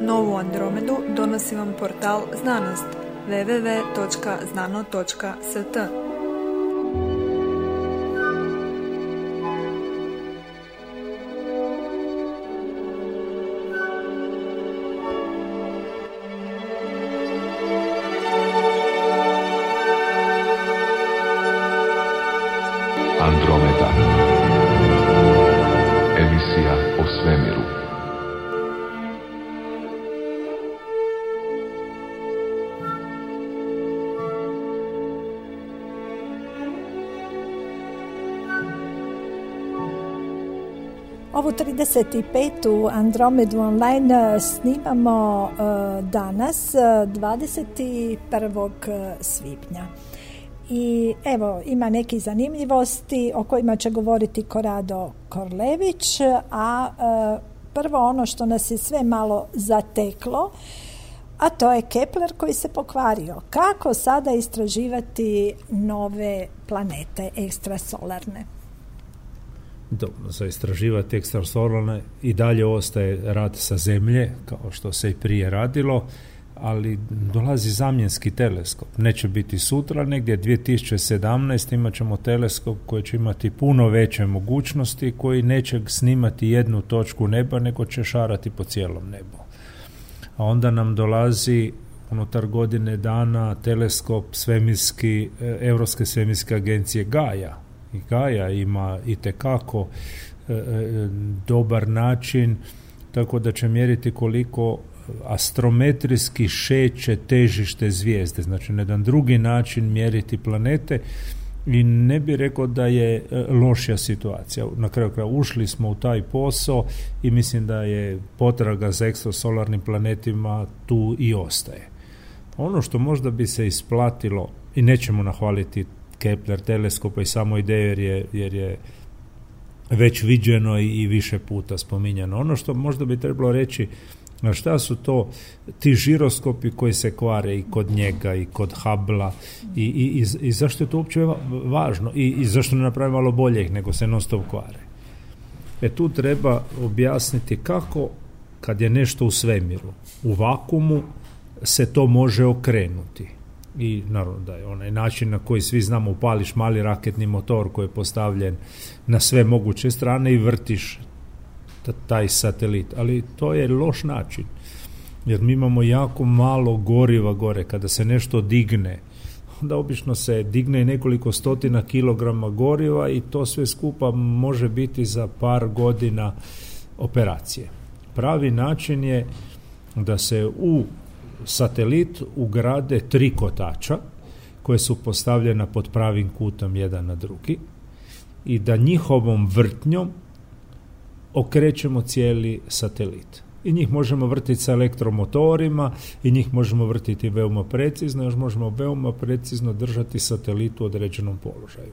Novu Andromedu donosi vam portal Znanost www.znano.st. Andromeda. Emisija o svemiru. Ovu 35. Andromedu online snimamo danas, 21. svibnja. I evo, ima nekih zanimljivosti o kojima će govoriti Korado Korlević, a prvo ono što nas je sve malo zateklo, a to je Kepler koji se pokvario. Kako sada istraživati nove planete ekstrasolarne? Dobro, za istraživati ekstrasolarne i dalje ostaje rad sa Zemlje, kao što se i prije radilo, ali dolazi zamjenski teleskop. Neće biti sutra, negdje 2017. imat ćemo teleskop koji će imati puno veće mogućnosti, koji neće snimati jednu točku neba, nego će šarati po cijelom nebu. A onda nam dolazi unutar godine dana teleskop svemirski, Europske svemirske agencije Gaia. I Gaia ima itekako dobar način, tako da će mjeriti koliko astrometrijski šeće težište zvijezde, znači na jedan drugi način mjeriti planete, i ne bi rekao da je lošija situacija. Na kraju kraja ušli smo u taj posao i mislim da je potraga za ekstrasolarnim planetima tu i ostaje. Ono što možda bi se isplatilo, i nećemo nahvaliti Kepler teleskopa i samo ideju jer je već viđeno i više puta spominjano. Ono što možda bi trebalo reći, šta su to ti žiroskopi koji se kvare i kod njega i kod Hubble-a i zašto je to uopće važno i zašto ne napravi malo boljih nego se non stop kvare. Tu treba objasniti kako kad je nešto u svemiru, u vakuumu, se to može okrenuti. I naravno da je onaj način na koji svi znamo, upališ mali raketni motor koji je postavljen na sve moguće strane i vrtiš taj satelit, ali to je loš način, jer mi imamo jako malo goriva gore. Kada se nešto digne, onda obično se digne nekoliko stotina kilograma goriva i to sve skupa može biti za par godina operacije. Pravi način je da se u satelit ugrade 3 kotača koje su postavljena pod pravim kutom jedan na drugi i da njihovom vrtnjom okrećemo cijeli satelit. I njih možemo vrtiti sa elektromotorima i njih možemo vrtiti veoma precizno, još možemo veoma precizno držati satelit u određenom položaju.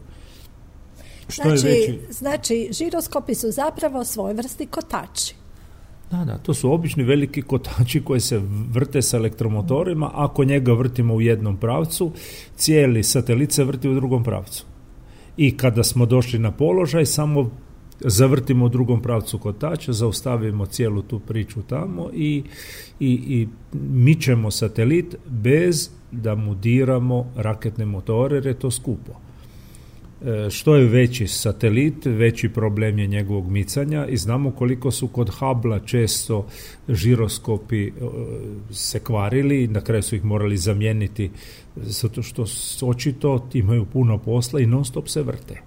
Znači, žiroskopi su zapravo svojevrsni kotači. Da, to su obični veliki kotači koji se vrte sa elektromotorima. Ako njega vrtimo u jednom pravcu, cijeli satelit se vrti u drugom pravcu. I kada smo došli na položaj, samo zavrtimo u drugom pravcu kotača, zaustavimo cijelu tu priču tamo i mičemo satelit bez da mu diramo raketne motore, jer je to skupo. Što je veći satelit, veći problem je njegovog micanja i znamo koliko su kod Hubble često žiroskopi se kvarili i na kraju su ih morali zamijeniti zato što očito imaju puno posla i non stop se vrte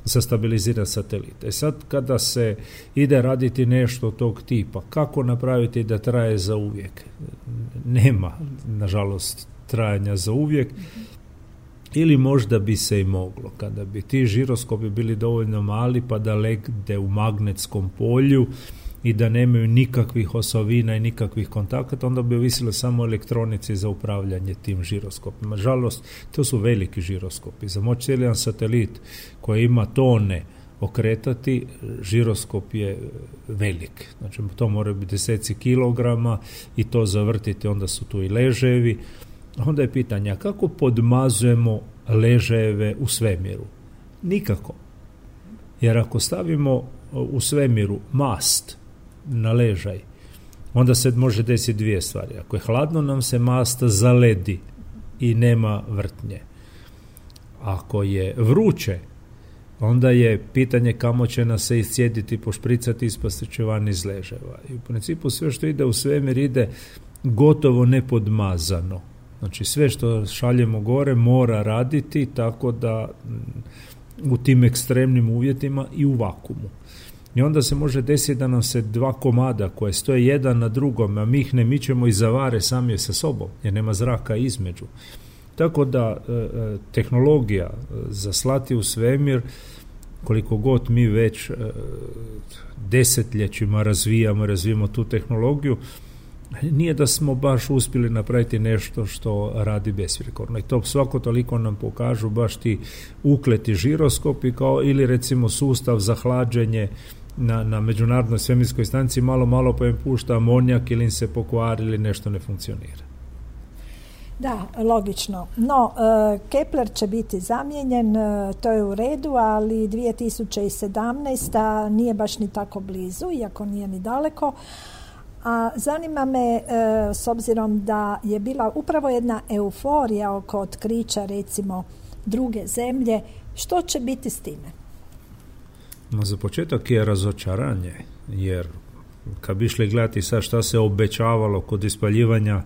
za stabilizirati satelite. Sad kada se ide raditi nešto tog tipa, kako napraviti da traje za uvijek? Nema, nažalost, trajanja za uvijek. Ili možda bi se i moglo, kada bi ti žiroskopi bili dovoljno mali pa da legde u magnetskom polju i da nemaju nikakvih osovina i nikakvih kontakata, onda bi ovisilo samo o elektronici za upravljanje tim žiroskopima. Nažalost, to su veliki žiroskopi. Za moći cijeli jedan satelit koji ima tone okretati, žiroskop je velik. Znači, to mora biti deseci kilograma i to zavrtiti, onda su tu i ležajevi. Onda je pitanje, kako podmazujemo ležajeve u svemiru? Nikako. Jer ako stavimo u svemiru mast na ležaj onda se može desiti dvije stvari. Ako je hladno, nam se mast zaledi i nema vrtnje. Ako je vruće, onda je pitanje kamo će nas se iscijediti, pošpricati, ispasti će van iz leževa. I u principu sve što ide u svemir ide gotovo nepodmazano. Znači sve što šaljemo gore mora raditi tako da u tim ekstremnim uvjetima i u vakumu. I onda se može desiti da nam se dva komada koje stoje jedan na drugom, a mi ih ne mičemo i zavare sami sa sobom, jer nema zraka između. Tako da tehnologija za slati u svemir, koliko god mi već desetljećima razvijamo tu tehnologiju, nije da smo baš uspjeli napraviti nešto što radi besprijekorno. I to svako toliko nam pokažu baš ti ukleti žiroskopi kao ili recimo sustav za hlađenje na međunarodnoj svemirskoj stanici, malo pa im pušta amonijak ili im se pokvari ili nešto ne funkcionira. Da, logično. No, Kepler će biti zamijenjen, to je u redu, ali 2017. nije baš ni tako blizu, iako nije ni daleko. A zanima me, s obzirom da je bila upravo jedna euforija oko otkrića, recimo, druge zemlje, što će biti s time? No, za početak je razočaranje, jer kad bi išli gledati sad šta se obećavalo kod ispaljivanja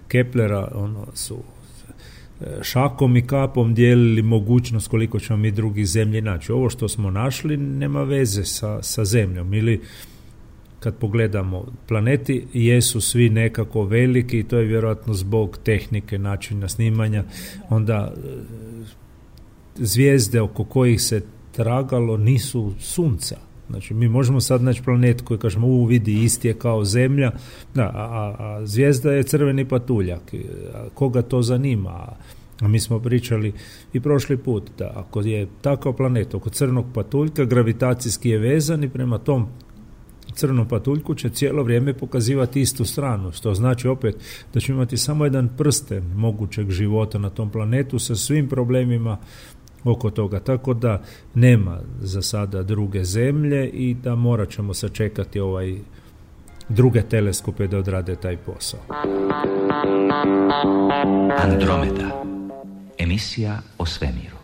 Keplera, su šakom i kapom dijelili mogućnost koliko ćemo mi drugih zemlji naći. Ovo što smo našli nema veze sa zemljom, ili kad pogledamo planeti jesu svi nekako veliki i to je vjerojatno zbog tehnike, načina snimanja. Onda zvijezde oko kojih se tragalo nisu sunca. Znači mi možemo sad naći planet koji kažemo vidi isti je kao zemlja, a zvijezda je crveni patuljak. Koga to zanima? A mi smo pričali i prošli put da ako je takav planet oko crnog patuljka, gravitacijski je vezan i prema tom crnom patuljku će cijelo vrijeme pokazivati istu stranu, što znači opet da ćemo imati samo jedan prsten mogućeg života na tom planetu sa svim problemima oko toga, tako da nema za sada druge zemlje i da morat ćemo sačekati druge teleskope da odrade taj posao. Andromeda, emisija o svemiru.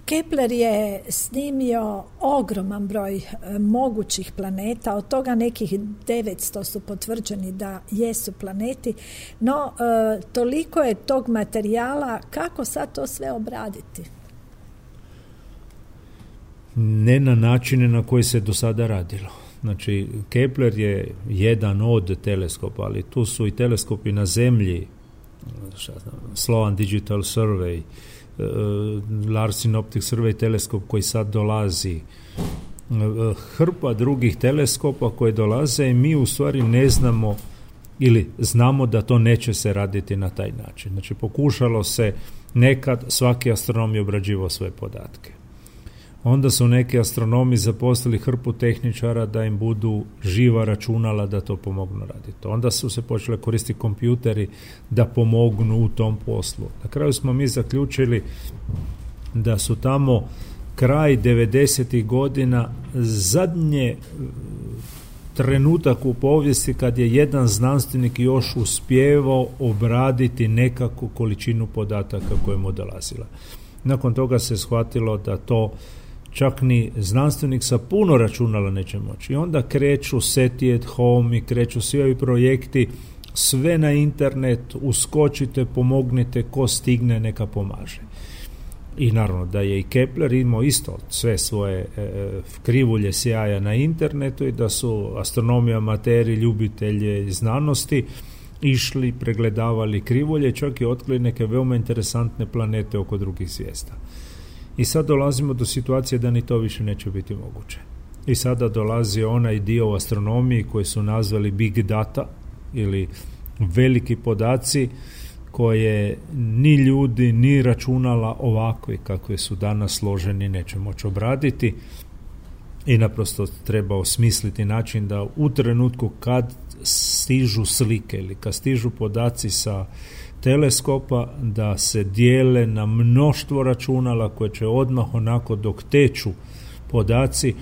Kepler je snimio ogroman broj mogućih planeta, od toga nekih 900 su potvrđeni da jesu planeti, no toliko je tog materijala, kako sad to sve obraditi? Ne na načine na koji se do sada radilo. Znači, Kepler je jedan od teleskopa, ali tu su i teleskopi na Zemlji, Sloan Digital Survey, Larsen Optic Survey teleskop koji sad dolazi, hrpa drugih teleskopa koji dolaze i mi u stvari ne znamo ili znamo da to neće se raditi na taj način. Znači, pokušalo se nekad, svaki astronom je obrađivao svoje podatke. Onda su neki astronomi zaposlili hrpu tehničara da im budu živa računala da to pomognu raditi. Onda su se počeli koristiti kompjuteri da pomognu u tom poslu. Na kraju smo mi zaključili da su tamo kraj 90. godina zadnje trenutak u povijesti kad je jedan znanstvenik još uspijevao obraditi nekakvu količinu podataka koja mu dolazila. Nakon toga se shvatilo da to čak ni znanstvenik sa puno računala neće moći. I onda kreću SETI at Home i kreću svi ovi projekti, sve na internet, uskočite, pomognite, ko stigne neka pomaže. I naravno da je i Kepler imao isto sve svoje krivulje sjaja na internetu i da su astronomi, amateri, ljubitelji znanosti išli, pregledavali krivulje, čak i otkrili neke veoma interesantne planete oko drugih zvijezda. I sad dolazimo do situacije da ni to više neće biti moguće. I sada dolazi onaj dio u astronomiji koji su nazvali big data ili veliki podaci koje ni ljudi ni računala ovakvi kakve su danas složeni neće moći obraditi i naprosto treba osmisliti način da u trenutku kad stižu slike ili kad stižu podaci sa teleskopa da se dijele na mnoštvo računala koje će odmah onako dok teču podaci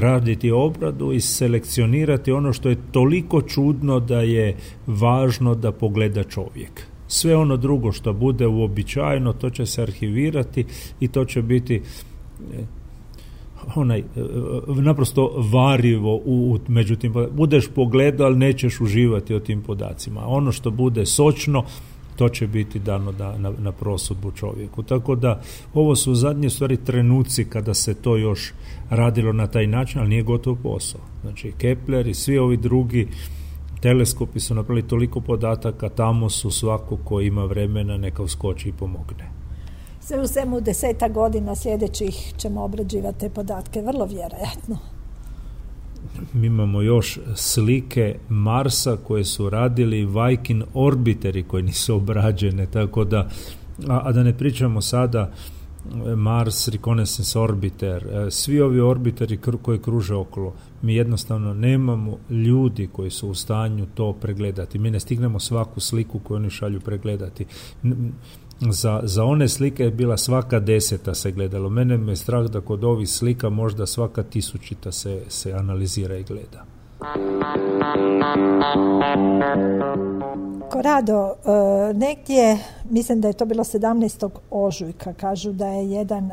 raditi obradu i selekcionirati ono što je toliko čudno da je važno da pogleda čovjek. Sve ono drugo što bude uobičajeno, to će se arhivirati i to će biti naprosto varivo međutim, budeš pogledao, ali nećeš uživati o tim podacima. Ono što bude sočno, to će biti dano na prosudbu čovjeku. Tako da ovo su zadnje stvari trenuci kada se to još radilo na taj način, ali nije gotov posao. Znači Kepler i svi ovi drugi teleskopi su napravili toliko podataka, tamo su svako ko ima vremena neka uskoči i pomogne. Sve u svemu 10 godina sljedećih ćemo obrađivati te podatke, vrlo vjerojatno. Mi imamo još slike Marsa koje su radili Viking orbiteri koji nisu obrađene, tako da, a da ne pričamo sada Mars Reconnaissance Orbiter, svi ovi orbiteri koji kruže okolo, mi jednostavno nemamo ljudi koji su u stanju to pregledati. Mi ne stignemo svaku sliku koju oni šalju pregledati. Za one slike je bila svaka 10. se gledalo. Mene me strah da kod ovih slika možda svaka 1000. se analizira i gleda. Korado, negdje, mislim da je to bilo 17. ožujka, kažu da je jedan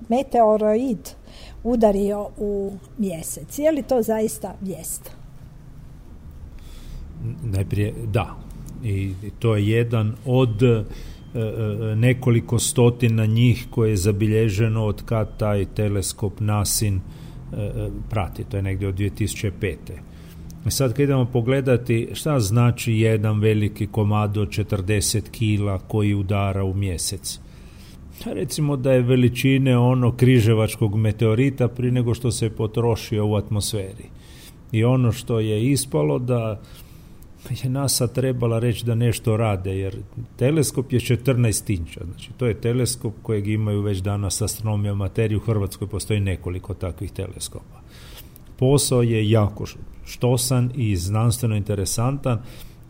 meteoroid udario u mjesec. Je li to zaista vijest? Najprije, da. I to je jedan od nekoliko stotina njih koje je zabilježeno od kad taj teleskop NASIN prati. To je negdje od 2005. I sad kad idemo pogledati šta znači jedan veliki komad od 40 kila koji udara u mjesec. Recimo da je veličine križevačkog meteorita prije nego što se potrošio u atmosferi. I ono što je ispalo da je NASA trebala reći da nešto rade, jer teleskop je 14 inča, znači to je teleskop kojeg imaju već danas astronomija materije, u Hrvatskoj postoji nekoliko takvih teleskopa. Posao je jako štosan i znanstveno interesantan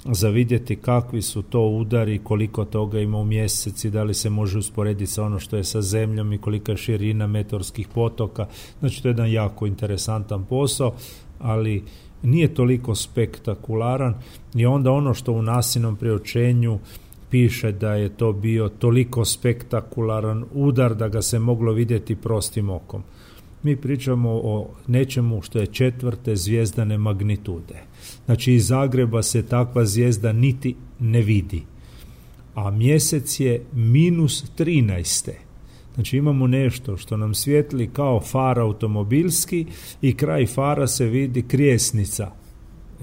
za vidjeti kakvi su to udari, koliko toga ima u mjeseci, da li se može usporediti sa ono što je sa Zemljom i kolika je širina meteorskih potoka. Znači to je jedan jako interesantan posao, ali nije toliko spektakularan i onda ono što u NASInom priopćenju piše da je to bio toliko spektakularan udar da ga se moglo vidjeti prostim okom. Mi pričamo o nečemu što je 4. zvijezdane magnitude. Znači iz Zagreba se takva zvijezda niti ne vidi. A mjesec je -13. Znači imamo nešto što nam svijetli kao far automobilski i kraj fara se vidi krijesnica.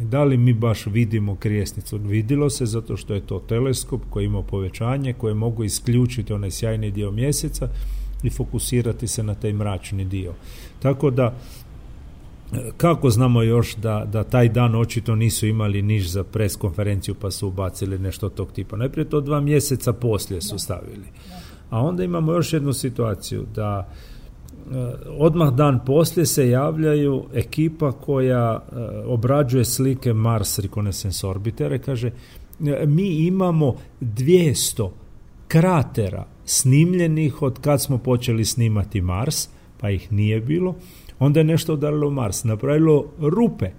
Da li mi baš vidimo krijesnicu? Vidilo se zato što je to teleskop koji ima povećanje, koje mogu isključiti onaj sjajni dio mjeseca i fokusirati se na taj mračni dio. Tako da, kako znamo još da taj dan očito nisu imali niš za pres konferenciju pa su ubacili nešto tog tipa. Najprije to 2 mjeseca poslije su stavili. A onda imamo još jednu situaciju da odmah dan poslije se javljaju ekipa koja obrađuje slike Mars Reconnaissance Orbiter, kaže mi imamo 200 kratera snimljenih od kad smo počeli snimati Mars, pa ih nije bilo. Onda je nešto udarilo Mars, napravilo rupe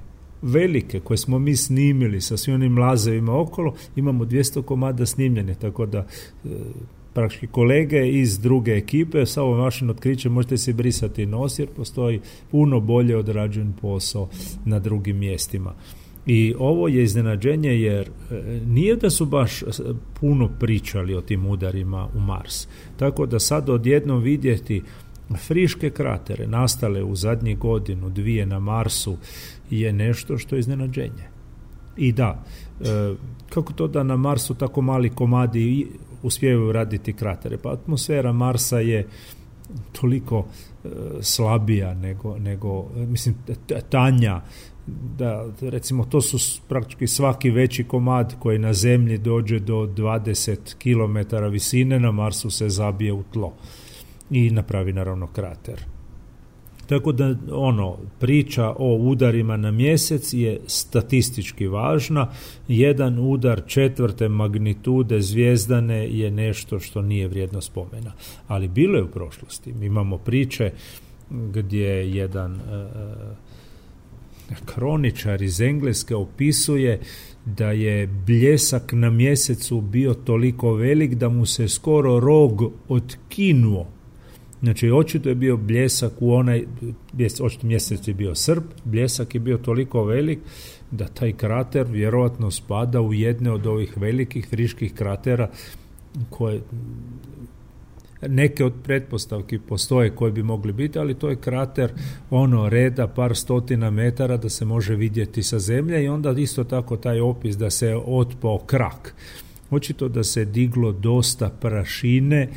velike koje smo mi snimili sa svim onim lazevima okolo, imamo 200 komada snimljene, tako da praktički kolege iz druge ekipe sa ovom vašim otkrićem možete se brisati nos jer postoji puno bolje odrađen posao na drugim mjestima. I ovo je iznenađenje jer nije da su baš puno pričali o tim udarima u Mars. Tako da sad odjednom vidjeti friške kratere nastale u zadnjih 1-2 na Marsu je nešto što je iznenađenje. I da, kako to da na Marsu tako mali komadi uspijevaju raditi kratere? Pa atmosfera Marsa je toliko slabija nego mislim tanja, da recimo to su praktički svaki veći komad koji na Zemlji dođe do 20 km visine, na Marsu se zabije u tlo i napravi naravno krater. Tako da priča o udarima na mjesec je statistički važna. Jedan udar 4. magnitude zvijezdane je nešto što nije vrijedno spomena. Ali bilo je u prošlosti. Mi imamo priče gdje jedan kroničar iz Engleske opisuje da je bljesak na mjesecu bio toliko velik da mu se skoro rog otkinuo. Znači, očito je bio bljesak očito mjesec je bio srp, bljesak je bio toliko velik da taj krater vjerojatno spada u jedne od ovih velikih friških kratera koje neke od pretpostavki postoje koje bi mogli biti, ali to je krater reda par stotina metara da se može vidjeti sa zemlje i onda isto tako taj opis da se otpao krak. Očito da se diglo dosta prašine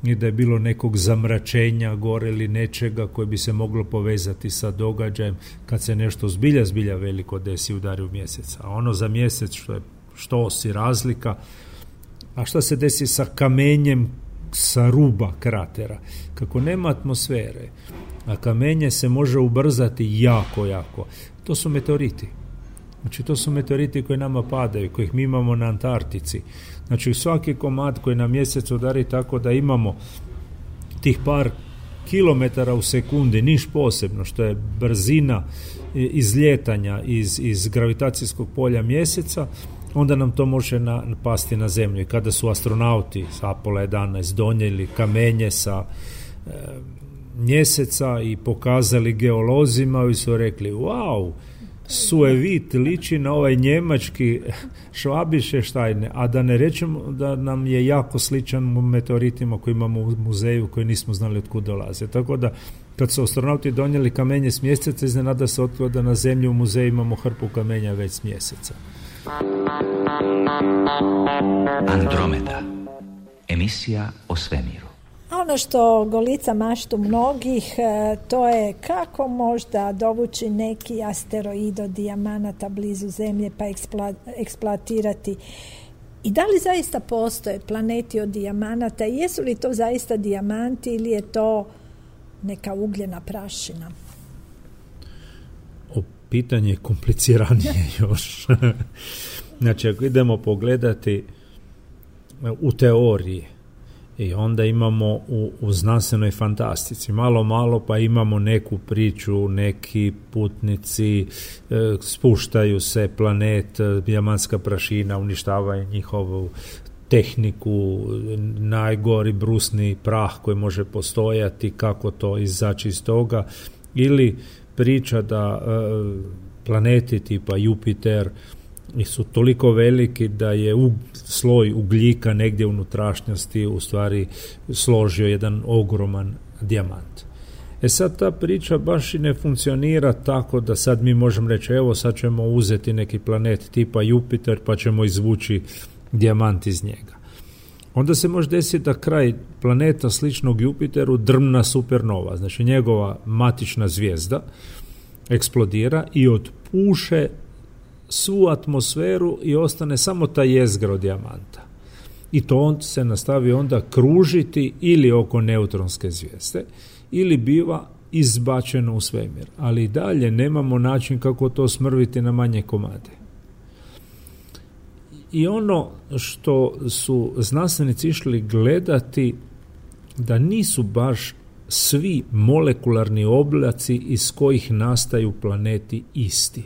i da je bilo nekog zamračenja gore ili nečega koje bi se moglo povezati sa događajem kad se nešto zbilja veliko desi udari u mjesec. A ono za mjesec što si razlika, a šta se desi sa kamenjem sa ruba kratera? Kako nema atmosfere, a kamenje se može ubrzati jako. To su meteoriti. Znači, to su meteoriti koji nama padaju, kojih mi imamo na Antarktici. Znači, svaki komad koji na mjesec udari tako da imamo tih par kilometara u sekundi, niš posebno, što je brzina izljetanja iz gravitacijskog polja mjeseca, onda nam to može pasti na zemlju. I kada su astronauti s Apollo 11 donijeli kamenje sa mjeseca i pokazali geolozima i su rekli, wow, Suevit liči na ovaj njemački Schwabischstein, a da ne rečemo da nam je jako sličan meteoritima koji imamo u muzeju koji nismo znali od kud dolaze. Tako da kad su astronauti donijeli kamenje s mjeseca, iznenada se otkrilo da na zemlji u muzeju imamo hrpu kamenja već s mjeseca. Andromeda, emisija o svemiru. Ono što golica maštu mnogih, to je kako možda dovući neki asteroid od dijamanata blizu Zemlje pa eksploatirati. I da li zaista postoje planeti od dijamanata i jesu li to zaista dijamanti ili je to neka ugljena prašina? Pitanje je kompliciranije još. Znači, ako idemo pogledati u teoriji, i onda imamo u znanstvenoj fantastici malo pa imamo neku priču, neki putnici spuštaju se, planet, dijamantska prašina uništava njihovu tehniku, najgori brusni prah koji može postojati, kako to izaći iz toga, ili priča da planeti tipa Jupiter su toliko veliki da je sloj ugljika negdje u unutrašnjosti u stvari složio jedan ogroman dijamant. Sad ta priča baš i ne funkcionira tako da sad mi možemo reći evo sad ćemo uzeti neki planet tipa Jupiter pa ćemo izvući dijamant iz njega. Onda se može desiti da kraj planeta sličnog Jupiteru drmna supernova, znači njegova matična zvijezda eksplodira i otpuše svu atmosferu i ostane samo ta jezgra od dijamanta. I to on se nastavi onda kružiti ili oko neutronske zvijezde ili biva izbačeno u svemir. Ali i dalje nemamo način kako to smrviti na manje komade. I ono što su znanstvenici išli gledati da nisu baš svi molekularni oblaci iz kojih nastaju planeti isti.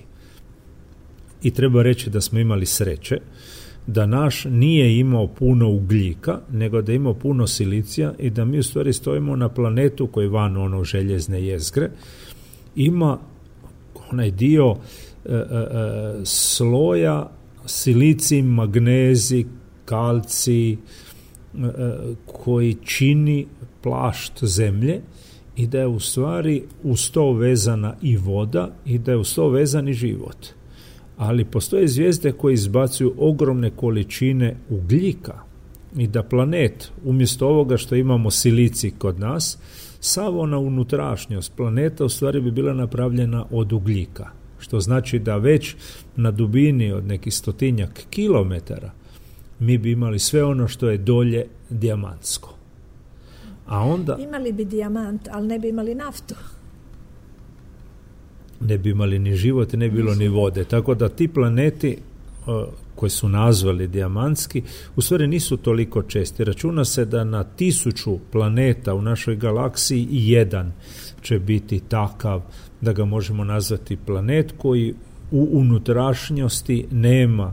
I treba reći da smo imali sreće da naš nije imao puno ugljika, nego da je imao puno silicija i da mi u stvari stojimo na planetu koji van željezne jezgre ima onaj dio sloja silicij, magnezij, kalcij koji čini plašt zemlje i da je u stvari uz to vezana i voda i da je uz to vezan i život. Ali postoje zvijezde koje izbacuju ogromne količine ugljika i da planet, umjesto ovoga što imamo silicij kod nas, sav ona unutrašnjost planeta u stvari bi bila napravljena od ugljika. Što znači da već na dubini od nekih 100 kilometara mi bi imali sve ono što je dolje dijamantsko. A onda imali bi dijamant, ali ne bi imali naftu. Ne bi imali ni život, ne bi bilo ni vode. Tako da ti planeti koji su nazvali dijamantski, u stvari nisu toliko česti. Računa se da na 1000 planeta u našoj galaksiji jedan će biti takav da ga možemo nazvati planet koji u unutrašnjosti nema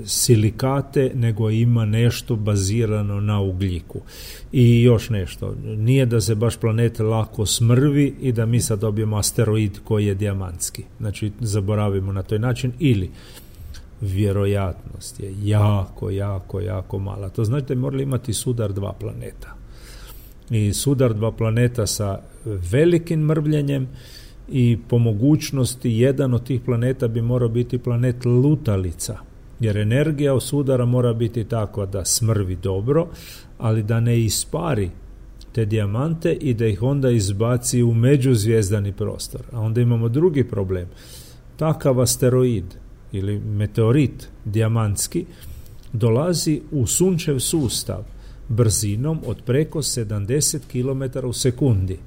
silikate, nego ima nešto bazirano na ugljiku. I još nešto, nije da se baš planet lako smrvi i da mi sad dobijemo asteroid koji je dijamantski. Znači, zaboravimo na toj način, ili vjerojatnost je jako mala. To znači da morali imati sudar 2 planeta. I sudar 2 planeta sa velikim mrvljenjem, i po mogućnosti jedan od tih planeta bi morao biti planet lutalica, jer energija od sudara mora biti takva da smrvi dobro, ali da ne ispari te dijamante i da ih onda izbaci u međuzvijezdani prostor. A onda imamo drugi problem. Takav asteroid ili meteorit dijamantski dolazi u sunčev sustav brzinom od preko 70 km u sekundi.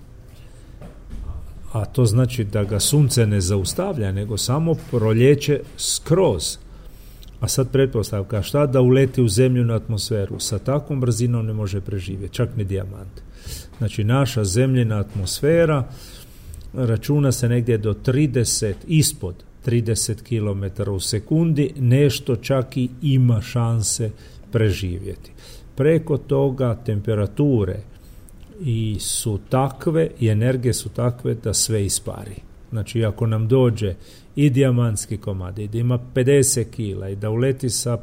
A to znači da ga sunce ne zaustavlja, nego samo proljeće skroz. A sad pretpostavka, šta da uleti u zemljinu atmosferu? Sa takvom brzinom ne može preživjeti, čak ni dijamant. Znači, naša zemljina atmosfera računa se negdje do 30, ispod 30 km u sekundi, nešto čak i ima šanse preživjeti. Preko toga temperature i su takve i energije su takve da sve ispari. Znači, ako nam dođe i dijamantski komad i da ima 50 kila i da uleti sa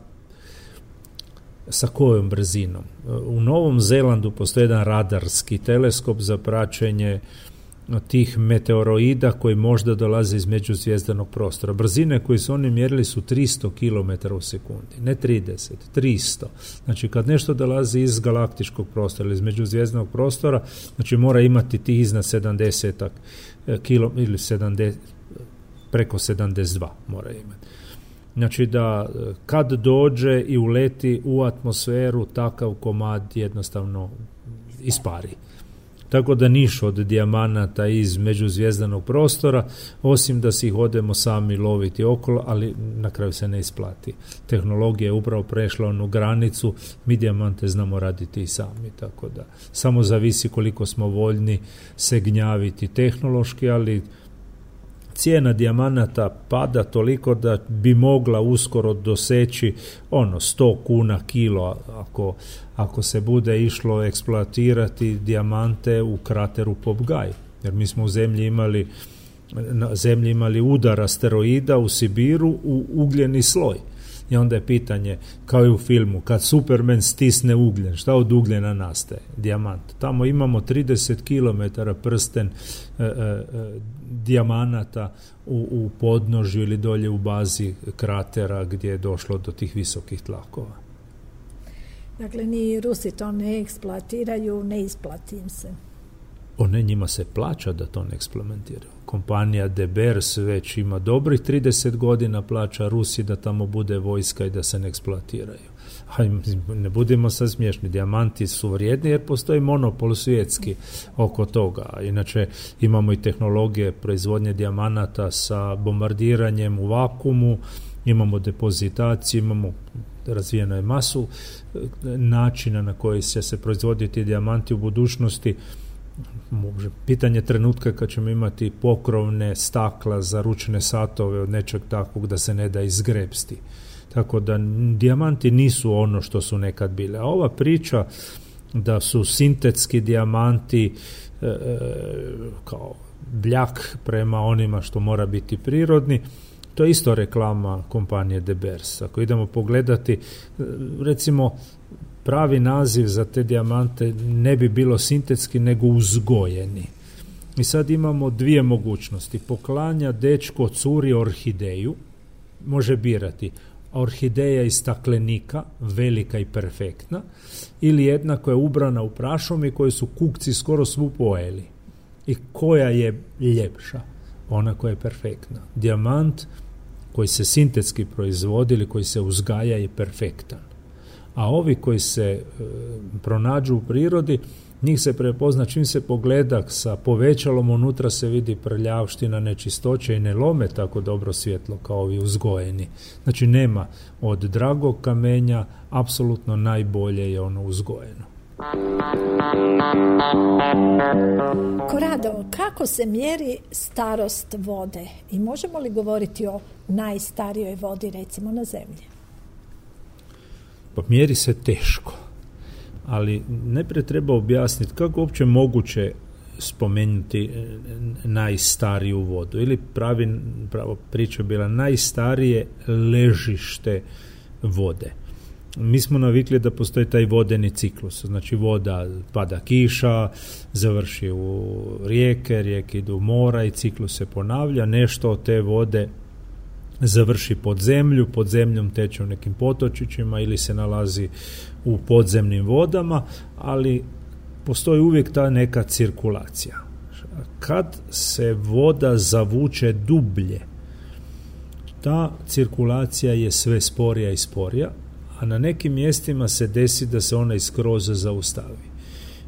kojom brzinom? U Novom Zelandu postoji jedan radarski teleskop za praćenje tih meteoroida koji možda dolaze iz međuzvijezdanog prostora. Brzine koje su oni mjerili su 300 km u sekundi, ne 30, 300. Znači, kad nešto dolazi iz galaktičkog prostora ili iz međuzvijezdanog prostora, znači mora imati tih iznad 70 km ili 70, preko 72 mora imati. Znači, da kad dođe i uleti u atmosferu, takav komad jednostavno ispari. Tako da niš od dijamanata iz međuzvijezdanog prostora, osim da si ih odemo sami loviti okolo, ali na kraju se ne isplati. Tehnologija je upravo prešla onu granicu, mi dijamante znamo raditi i sami, tako da samo zavisi koliko smo voljni se gnjaviti tehnološki, ali cijena dijamanata pada toliko da bi mogla uskoro doseći 100 kuna kilo ako se bude išlo eksploatirati dijamante u krateru Popgaj. Jer mi smo na zemlji imali udar asteroida u Sibiru u ugljeni sloj. I onda je pitanje, kao i u filmu, kad Superman stisne ugljen, šta od ugljena nastaje? Dijamant. Tamo imamo 30 km prsten dijamanata u podnožju ili dolje u bazi kratera gdje je došlo do tih visokih tlakova. Dakle, ni Rusi to ne eksploatiraju, ne isplati im se. Njima se plaća da to ne eksperimentiraju. Kompanija De Beers već ima dobrih 30 godina plaća Rusi da tamo bude vojska i da se ne eksploatiraju. Ne budemo sad smiješni, dijamanti su vrijedni jer postoji monopol svjetski oko toga. Inače, imamo i tehnologije proizvodnje dijamanata sa bombardiranjem u vakuumu, imamo depozitaciju, imamo razvijeno je masu načina na koji će se proizvoditi dijamanti u budućnosti. Pitanje trenutka kad ćemo imati pokrovne stakla za ručne satove od nečeg takvog da se ne da izgrebsti. Tako da dijamanti nisu ono što su nekad bile. A ova priča da su sintetski dijamanti kao bljak prema onima što mora biti prirodni, to je isto reklama kompanije De Beers. Ako idemo pogledati, recimo, pravi naziv za te dijamante ne bi bilo sintetski, nego uzgojeni. I sad imamo dvije mogućnosti. Poklanja dečko curi orhideju, može birati orhideja iz staklenika, velika i perfektna, ili jedna koja je ubrana u prašom i koju su kukci skoro svu pojeli. I koja je ljepša? Ona koja je perfektna. Dijamant koji se sintetski proizvodi ili koji se uzgaja je perfektan. A ovi koji se pronađu u prirodi, Njih se prepozna čim se pogleda sa povećalom, unutra se vidi prljavština, nečistoće i ne lome tako dobro svjetlo kao ovi uzgojeni. Znači nema od dragog kamenja, apsolutno najbolje je ono uzgojeno. Korado, kako se mjeri starost vode i možemo li govoriti o najstarijoj vodi recimo na zemlji? Pa mjeri se teško, ali najprije treba objasniti kako uopće moguće spomenuti najstariju vodu ili pravo priča bila najstarije ležište vode. Mi smo navikli da postoji taj vodeni ciklus, znači voda, pada kiša, završi u rijeke idu u mora i ciklus se ponavlja, nešto od te vode završi pod zemljom teče u nekim potočićima ili se nalazi u podzemnim vodama, ali postoji uvijek ta neka cirkulacija. Kad se voda zavuče dublje, ta cirkulacija je sve sporija i sporija, a na nekim mjestima se desi da se ona skroz zaustavi.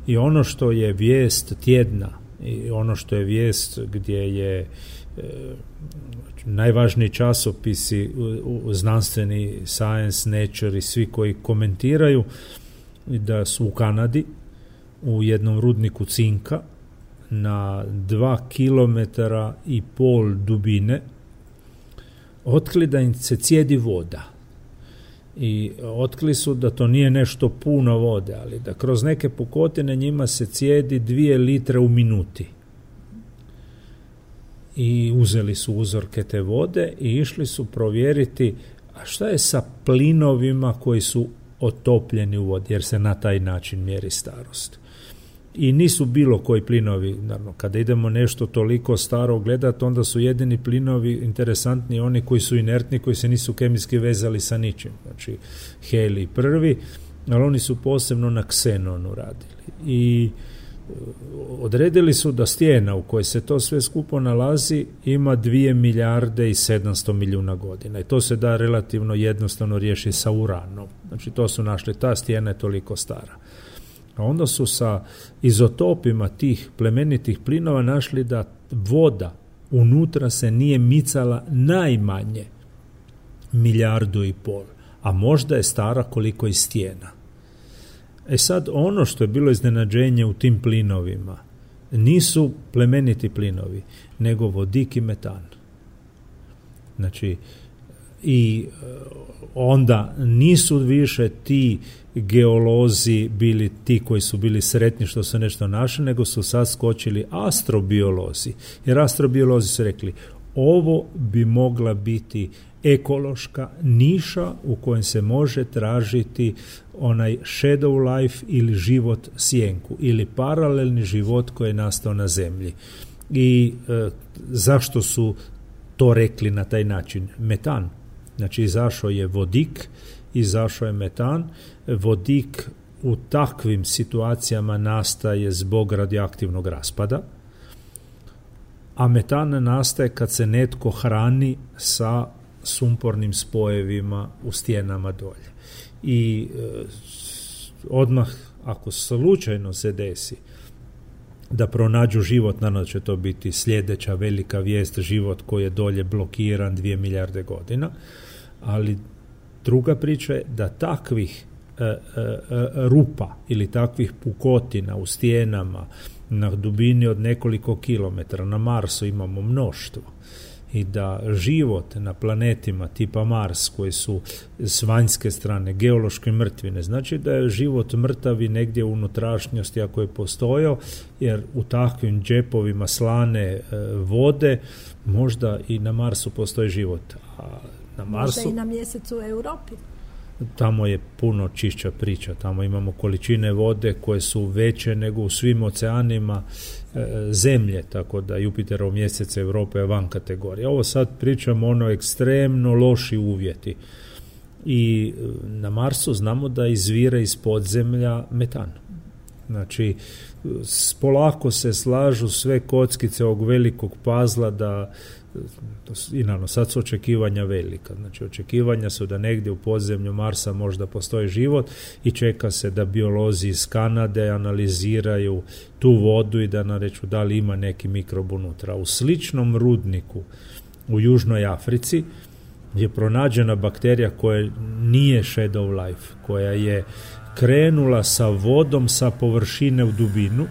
I ono što je vijest tjedna i ono što je vijest gdje je najvažniji časopisi znanstveni, Science, Nature i svi koji komentiraju da su u Kanadi u jednom rudniku cinka na 2,5 km dubine otkrili da im se cijedi voda. I otkrili su da to nije nešto puno vode, ali da kroz neke pukotine njima se cijedi 2 litre u minuti. I uzeli su uzorke te vode i išli su provjeriti a šta je sa plinovima koji su otopljeni u vodi, jer se na taj način mjeri starost. I nisu bilo koji plinovi, naravno, kada idemo nešto toliko staro gledati, onda su jedini plinovi interesantni oni koji su inertni, koji se nisu kemijski vezali sa ničim. Znači, helij prvi, ali oni su posebno na ksenonu radili. I odredili su da stijena u kojoj se to sve skupo nalazi ima 2 milijarde i 700 milijuna godina. I to se da relativno jednostavno riješiti sa uranom. Znači, to su našli, ta stijena je toliko stara. A onda su sa izotopima tih plemenitih plinova našli da voda unutra se nije micala najmanje 1,5 milijardu, a možda je stara koliko i stijena. E sad, ono što je bilo iznenađenje u tim plinovima nisu plemeniti plinovi, nego vodik i metan. Znači, i onda nisu više ti geolozi bili ti koji su bili sretni što su nešto našli, nego su sad skočili astrobiolozi. Jer astrobiolozi su rekli, ovo bi mogla biti ekološka niša u kojem se može tražiti onaj shadow life ili život sjenku ili paralelni život koji je nastao na zemlji. I zašto su to rekli na taj način? Metan. Znači, izašao je vodik, izašao je metan. Vodik u takvim situacijama nastaje zbog radioaktivnog raspada, a metan nastaje kad se netko hrani sa sumpornim spojevima u stijenama dolje. I odmah, ako slučajno se desi da pronađu život, naravno će to biti sljedeća velika vijest, život koji je dolje blokiran 2 milijarde godina, ali druga priča je da takvih rupa ili takvih pukotina u stijenama na dubini od nekoliko kilometara na Marsu imamo mnoštvo i da život na planetima tipa Mars koji su s vanjske strane geološke mrtvine, znači da je život mrtavi negdje u unutrašnjosti ako je postojao, jer u takvim džepovima slane vode možda i na Marsu postoji život. A na Marsu, možda i na mjesecu u Europi. Tamo je puno čišća priča, tamo imamo količine vode koje su veće nego u svim oceanima zemlje, tako da Jupiterov mjesec Europe je van kategorije. Ovo sad pričamo ono ekstremno loši uvjeti. I na Marsu znamo da izvire iz podzemlja metan. Znači, polako se slažu sve kockice ovog velikog pazla da I naravno, sad su očekivanja velika. Znači, očekivanja su da negdje u podzemlju Marsa možda postoji život i čeka se da biolozi iz Kanade analiziraju tu vodu i da nareću da li ima neki mikrob unutra. U sličnom rudniku u Južnoj Africi je pronađena bakterija koja nije shadow life, koja je krenula sa vodom sa površine u dubinu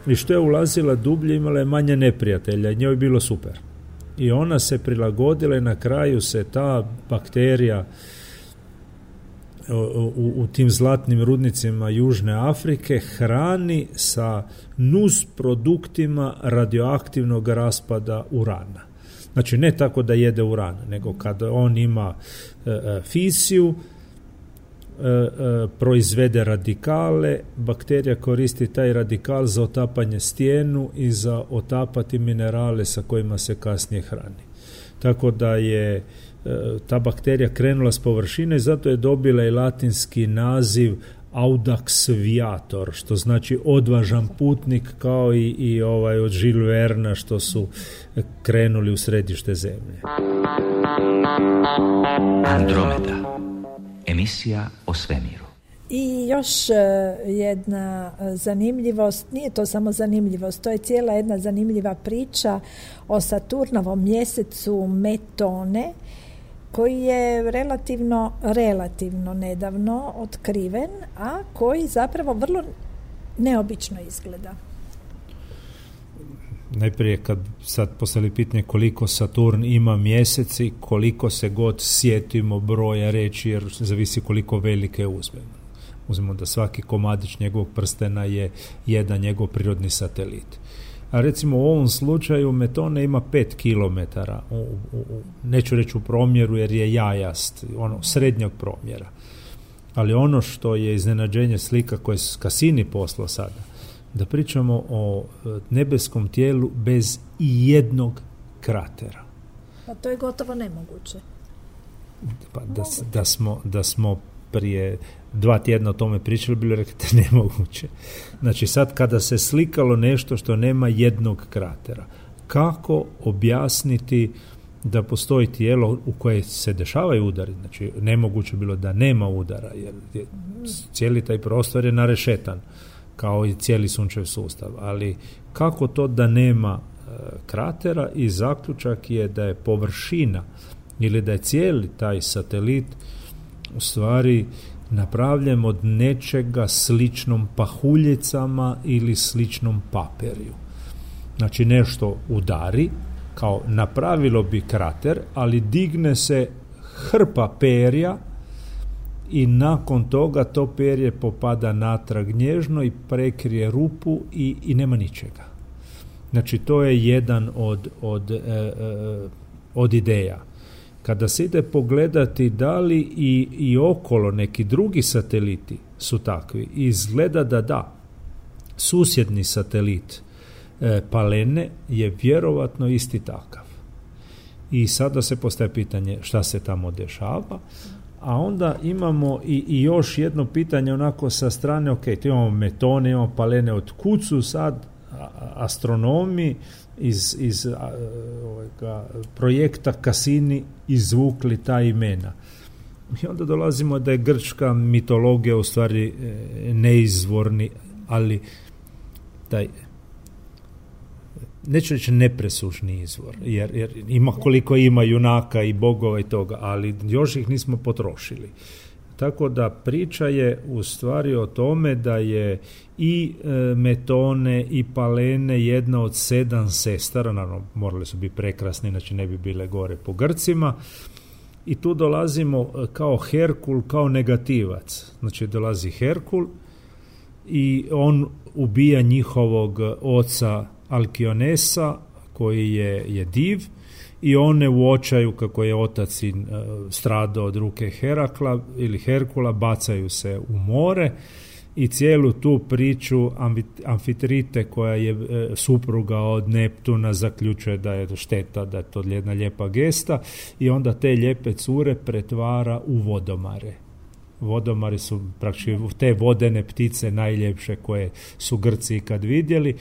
i što je ulazila dublje imala je manje neprijatelja i njoj je bilo super. I ona se prilagodila i na kraju se ta bakterija u tim zlatnim rudnicima Južne Afrike hrani sa nus produktima radioaktivnog raspada urana. Znači ne tako da jede uran, nego kada on ima fisiju, proizvede radikale, bakterija koristi taj radikal za otapanje stijenu i za otapati minerale sa kojima se kasnije hrani. Tako da je ta bakterija krenula s površine i zato je dobila i latinski naziv Audax viator, što znači odvažan putnik, kao i od Jules Verna što su krenuli u središte zemlje. Andromeda. Emisija o svemiru. I još jedna zanimljivost, nije to samo zanimljivost, to je cijela jedna zanimljiva priča o Saturnovom mjesecu Metone, koji je relativno nedavno otkriven, a koji zapravo vrlo neobično izgleda. Najprije kad sad postavili pitanje koliko Saturn ima mjeseci, koliko se god sjetimo broja reći, jer zavisi koliko velike uzmemo. Uzmemo da svaki komadić njegovog prstena je jedan njegov prirodni satelit. A recimo u ovom slučaju Metone ima 5 km, neću reći u promjeru jer je jajast, srednjog promjera. Ali ono što je iznenađenje slika koje je Cassini poslao sada, da pričamo o nebeskom tijelu bez ijednog kratera. Pa to je gotovo nemoguće. Pa da smo prije 2 tjedna o tome pričali, bilo rekli nemoguće. Znači sad kada se slikalo nešto što nema jednog kratera, kako objasniti da postoji tijelo u koje se dešavaju udari? Znači nemoguće bilo da nema udara, jer cijeli taj prostor je narešetan, kao i cijeli sunčev sustav, ali kako to da nema kratera? I zaključak je da je površina ili da je cijeli taj satelit u stvari napravljen od nečega sličnom pahuljicama ili sličnom papirju. Znači nešto udari, kao napravilo bi krater, ali digne se hrpa perja i nakon toga to perje popada natrag nježno i prekrije rupu i nema ničega. Znači to je jedan od ideja. Kada se ide pogledati da li i okolo neki drugi sateliti su takvi, izgleda da susjedni satelit Palene je vjerovatno isti takav. I sada se postaje pitanje šta se tamo dešava, a onda imamo i još jedno pitanje onako sa strane, ok, tu imamo Metone, imamo Palene, od kud su sad astronomi iz projekta Cassini izvukli ta imena. I onda dolazimo da je grčka mitologija u stvari neizvorni, ali taj, neću reći nepresušni izvor, jer ima koliko ima junaka i bogova i toga, ali još ih nismo potrošili. Tako da priča je u stvari o tome da je i Metone i Palene jedna od 7 sestara, naravno morali su biti prekrasni, inače ne bi bile gore po Grcima, i tu dolazimo kao Herkul, kao negativac. Znači dolazi Herkul i on ubija njihovog oca Alkionesa, koji je div, i one u očaju kako je otac stradao od ruke Herakla ili Herkula, bacaju se u more i cijelu tu priču Amfitrite, koja je supruga od Neptuna, zaključuje da je šteta, da je to jedna lijepa gesta, i onda te lijepe cure pretvara u vodomare. Vodomari su praktički te vodene ptice najljepše koje su Grci ikad vidjeli.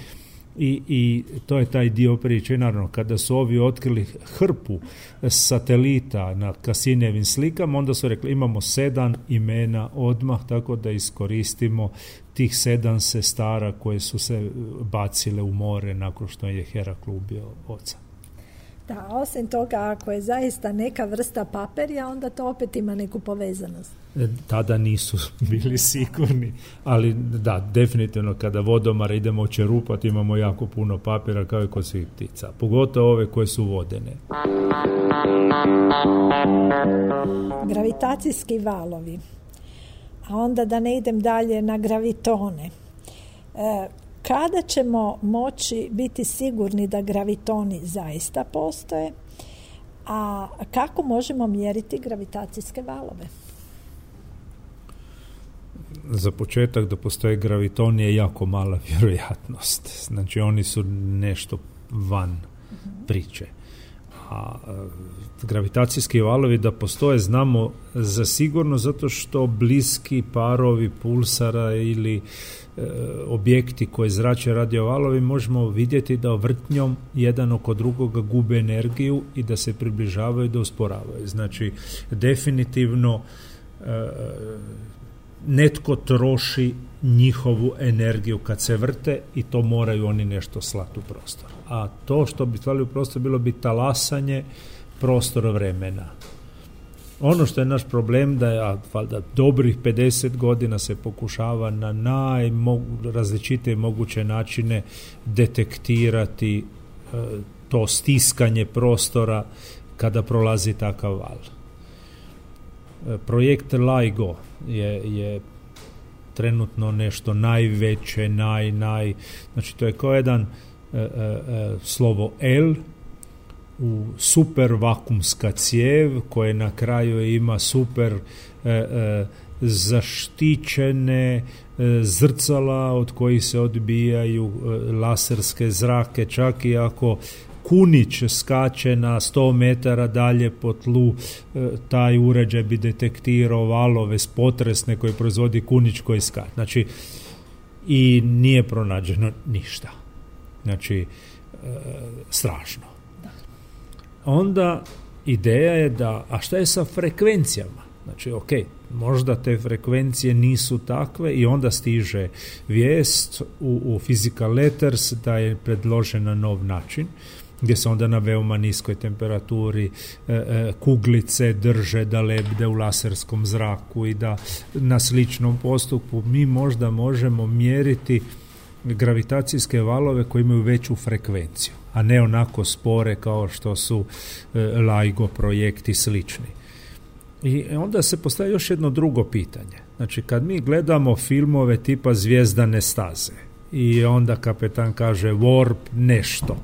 I to je taj dio priče. Naravno, kada su ovi otkrili hrpu satelita na Cassinijevim slikama, onda su rekli imamo 7 imena odmah, tako da iskoristimo tih 7 sestara koje su se bacile u more nakon što je Herakl ubio oca. Da, osim toga, ako je zaista neka vrsta papirja, onda to opet ima neku povezanost. Tada nisu bili sigurni, ali da, definitivno kada vodomar idemo čerupati, imamo jako puno papira kao i kod svih ptica, pogotovo ove koje su vodene. Gravitacijski valovi, a onda da ne idem dalje na gravitone. Kada ćemo moći biti sigurni da gravitoni zaista postoje, a kako možemo mjeriti gravitacijske valove? Za početak da postoje gravitoni je jako mala vjerojatnost. Znači oni su nešto van priče. A gravitacijski valovi da postoje znamo za sigurno zato što bliski parovi pulsara ili objekti koji zrače radiovalovi možemo vidjeti da vrtnjom jedan oko drugoga gube energiju i da se približavaju i da usporavaju. Znači definitivno netko troši njihovu energiju kad se vrte i to moraju oni nešto slati u prostor. A to što bi slali u prostor bilo bi talasanje prostora vremena. Ono što je naš problem da je valjda dobrih 50 godina se pokušava na najrazličitije moguće načine detektirati to stiskanje prostora kada prolazi takav val. Projekt LIGO je trenutno nešto najveće, znači to je kao jedan slovo L u super vakumska cijev koje na kraju ima super zaštićene zrcala od kojih se odbijaju laserske zrake, čak i ako kunić skače na 100 metara dalje po tlu, taj uređaj bi detektirao valove potresne koje proizvodi kunić koji skače. Znači, i nije pronađeno ništa. Znači, strašno. Onda ideja je da, a šta je sa frekvencijama? Znači, ok, možda te frekvencije nisu takve i onda stiže vijest u Physical Letters da je predložen na nov način, gdje se onda na veoma niskoj temperaturi kuglice drže da lebde u laserskom zraku i da na sličnom postupku mi možda možemo mjeriti gravitacijske valove koji imaju veću frekvenciju, a ne onako spore kao što su LIGO projekti slični. I onda se postavi još jedno drugo pitanje. Znači, kad mi gledamo filmove tipa Zvijezdane staze i onda kapetan kaže warp nešto,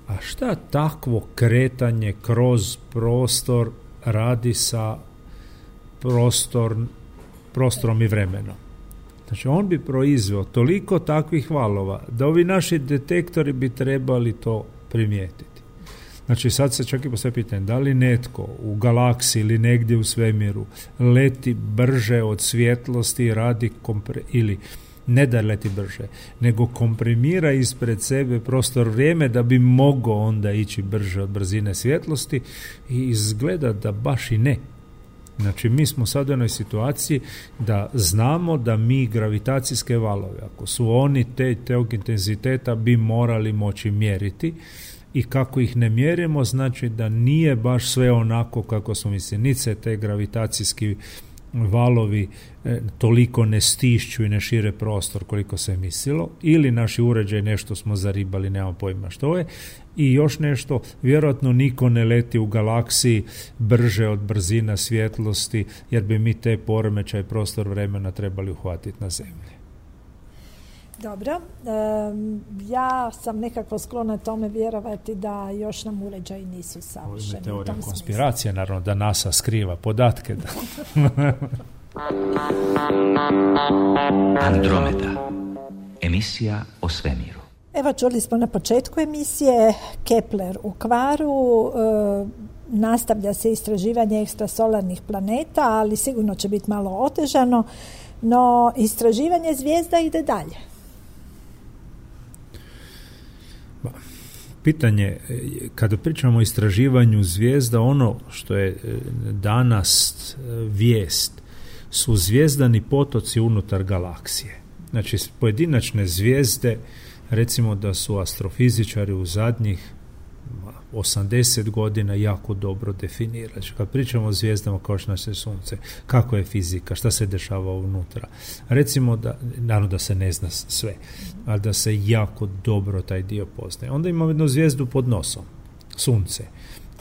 a šta takvo kretanje kroz prostor radi sa prostorom i vremenom? Znači, on bi proizveo toliko takvih valova da ovi naši detektori bi trebali to primijetiti. Znači, sad se čak i postavlja pitanje, da li netko u galaksiji ili negdje u svemiru leti brže od svjetlosti i radi ili ne da leti brže, nego komprimira ispred sebe prostor vrijeme da bi mogao onda ići brže od brzine svjetlosti i izgleda da baš i ne. Znači, mi smo sad u jednoj situaciji da znamo da mi gravitacijske valove, ako su oni tog intenziteta, bi morali moći mjeriti i kako ih ne mjerimo, znači da nije baš sve onako kako smo mislili. Niti se te gravitacijski valovi toliko ne stišću i ne šire prostor koliko se mislilo, ili naši uređaj nešto smo zaribali, nemamo pojma što je. I još nešto, vjerojatno niko ne leti u galaksiji brže od brzina svjetlosti, jer bi mi te poremećaj prostor vremena trebali uhvatiti na zemlji. Dobro, ja sam nekako sklona tome vjerovati da još nam uređaji nisu savršeni. Ovo je teorija konspiracije, naravno, da NASA skriva podatke. Andromeda, emisija o svemiru. Evo, čuli smo na početku emisije Kepler u kvaru, nastavlja se istraživanje ekstrasolarnih planeta, ali sigurno će biti malo otežano, no istraživanje zvijezda ide dalje. Pitanje, kada pričamo o istraživanju zvijezda, ono što je danas vijest su zvijezdani potoci unutar galaksije. Znači, pojedinačne zvijezde, recimo da su astrofizičari u zadnjih 80 godina jako dobro definirali. Znači, kad pričamo o zvijezdama kao što naše sunce, kako je fizika, šta se dešava unutra. Recimo da, naravno da se ne zna sve, ali da se jako dobro taj dio poznaje. Onda imamo jednu zvijezdu pod nosom, sunce.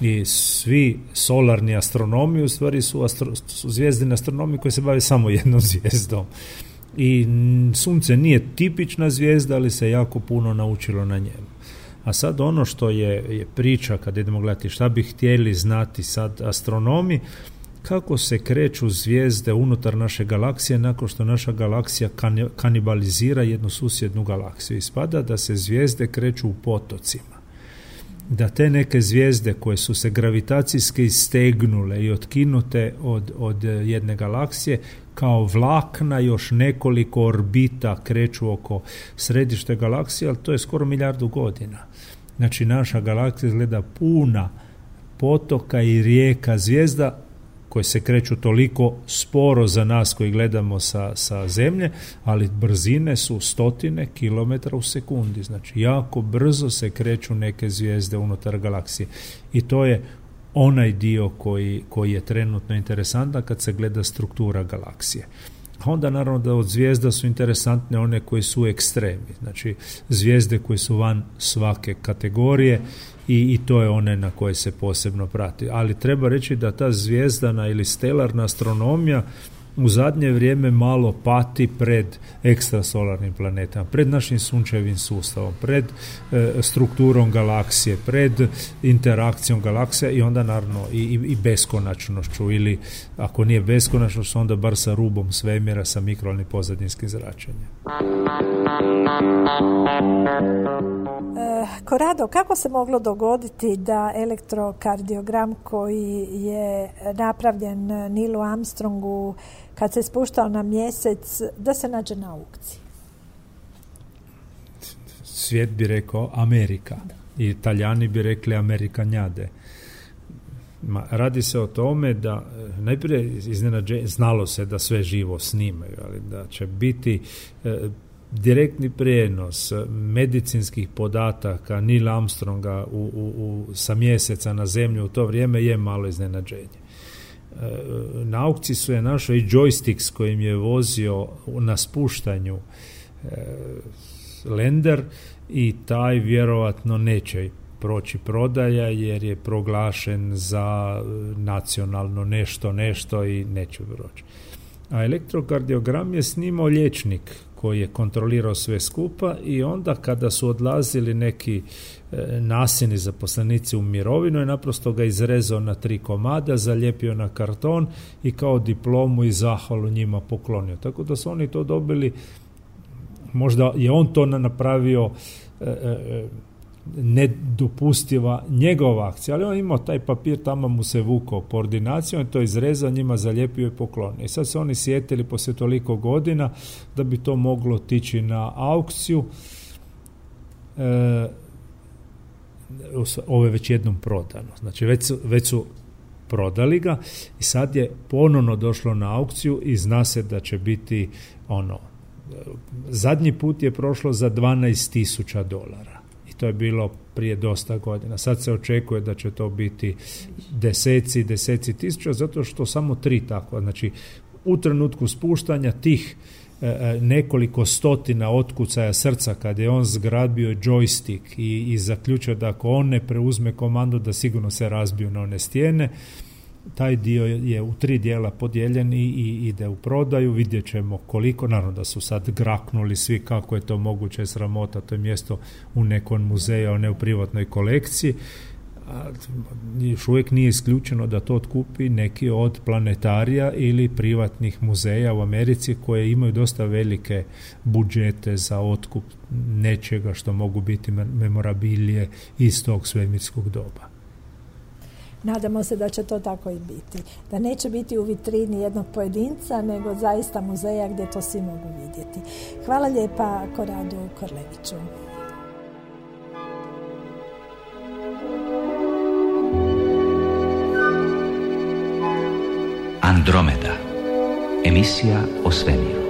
I svi solarni astronomi u stvari su zvijezdini astronomi koji se bave samo jednom zvijezdom. I sunce nije tipična zvijezda, ali se jako puno naučilo na njemu. A sad ono što je priča, kad idemo gledati šta bi htjeli znati sad astronomi, kako se kreću zvijezde unutar naše galaksije nakon što naša galaksija kanibalizira jednu susjednu galaksiju. Ispada da se zvijezde kreću u potocima. Da te neke zvijezde koje su se gravitacijski istegnule i otkinute od jedne galaksije, kao vlakna još nekoliko orbita kreću oko središte galaksije, ali to je skoro 1 milijardu godina. Znači, naša galaksija izgleda puna potoka i rijeka zvijezda koje se kreću toliko sporo za nas koji gledamo sa Zemlje, ali brzine su 100 kilometara u sekundi. Znači, jako brzo se kreću neke zvijezde unutar galaksije. I to je onaj dio koji je trenutno interesantan kad se gleda struktura galaksije. A onda naravno da od zvijezda su interesantne one koje su ekstremi, znači zvijezde koje su van svake kategorije i to je one na koje se posebno prati. Ali treba reći da ta zvijezdana ili stelarna astronomija u zadnje vrijeme malo pati pred ekstrasolarnim planetama, pred našim sunčevim sustavom, pred strukturom galaksije, pred interakcijom galaksije i onda naravno i beskonačnošću, ili ako nije beskonačnošć, onda bar sa rubom svemira, sa mikrovalnim pozadinskim zračenjem. Corrado, kako se moglo dogoditi da elektrokardiogram koji je napravljen Neilu Armstrongu kad se spuštao na mjesec, da se nađe na aukciji? Svijet bi rekao Amerika. I Italijani bi rekli Amerikanjade. Radi se o tome da najprije znalo se da sve živo snimaju, ali da će biti direktni prijenos medicinskih podataka Neila Armstronga sa mjeseca na Zemlju u to vrijeme je malo iznenađenje. Na aukciji su je našao i joystick s kojim je vozio na spuštanju lander i taj vjerovatno neće proći prodaja jer je proglašen za nacionalno nešto i neće proći. A elektrokardiogram je snimao liječnik koji je kontrolirao sve skupa i onda kada su odlazili neki nasilni zaposlenici u mirovinu je naprosto ga izrezao na 3 komada, zalijepio na karton i kao diplomu i zahvalu njima poklonio. Tako da su oni to dobili, možda je on to napravio nedopustiva njegova akcija, ali on imao taj papir, tamo mu se vukao po ordinaciju, on to izrezao, njima zalijepio i poklonio. I sad su oni sjetili poslije toliko godina da bi to moglo otići na aukciju. Ovo je već jednom prodano. Znači već su prodali ga i sad je ponovno došlo na aukciju i zna se da će biti zadnji put je prošlo za $12,000. To je bilo prije dosta godina. Sad se očekuje da će to biti deseci tisuća, zato što samo 3 takva. Znači, u trenutku spuštanja tih nekoliko stotina otkucaja srca, kad je on zgrabio joystick i zaključio da ako on ne preuzme komandu, da sigurno se razbiju na one stijene, taj dio je u 3 dijela podijeljen i ide u prodaju. Vidjet ćemo koliko, naravno da su sad graknuli svi kako je to moguće, sramota, to je mjesto u nekom muzeju, a ne u privatnoj kolekciji. Još uvijek nije isključeno da to otkupi neki od planetarija ili privatnih muzeja u Americi koje imaju dosta velike budžete za otkup nečega što mogu biti memorabilije iz tog svemirskog doba. Nadamo se da će to tako i biti. Da neće biti u vitrini jednog pojedinca, nego zaista muzeja gdje to svi mogu vidjeti. Hvala lijepa Corradu Korleviću. Andromeda. Emisija o svemiru.